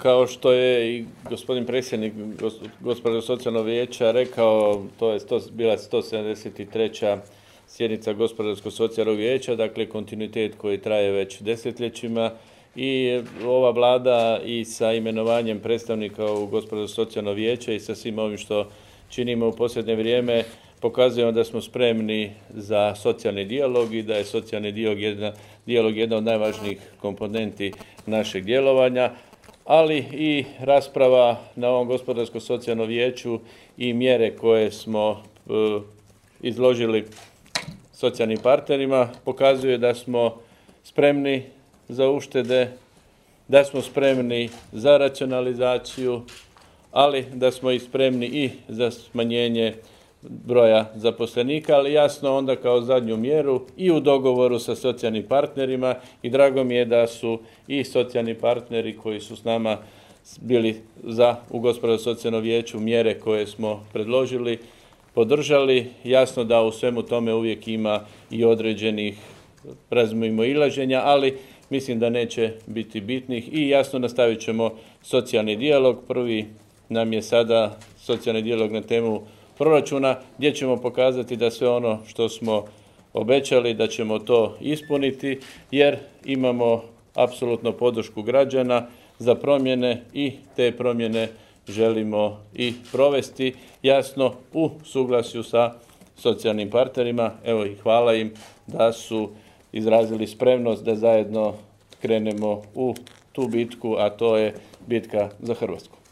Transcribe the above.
Kao što je i gospodin predsjednik Gospodarskog socijalnog vijeća rekao, to je bila 173. sjednica Gospodarskog socijalnog vijeća, dakle kontinuitet koji traje već desetljećima i ova Vlada i sa imenovanjem predstavnika u Gospodarsko socijalno vijeće i sa svim ovim što činimo u posljednje vrijeme pokazujemo da smo spremni za socijalni dijalog i da je socijalni dijalog jedna od najvažnijih komponenti našeg djelovanja, ali i rasprava na ovom Gospodarskom socijalnom vijeću i mjere koje smo izložili socijalnim partnerima pokazuje da smo spremni za uštede, da smo spremni za racionalizaciju, ali da smo i spremni i za smanjenje broja zaposlenika, ali jasno onda kao zadnju mjeru i u dogovoru sa socijalnim partnerima i drago mi je da su i socijalni partneri koji su s nama bili u Gospodarskom socijalnom vijeću mjere koje smo predložili, podržali. Jasno da u svemu tome uvijek ima i određenih razmimoilaženja, ali mislim da neće biti bitnih i jasno nastavit ćemo socijalni dijalog. Prvi nam je sada socijalni dijalog na temu proračuna gdje ćemo pokazati da sve ono što smo obećali da ćemo to ispuniti jer imamo apsolutno podršku građana za promjene i te promjene želimo i provesti jasno u suglasju sa socijalnim partnerima. Evo i hvala im da su izrazili spremnost da zajedno krenemo u tu bitku, a to je bitka za Hrvatsku.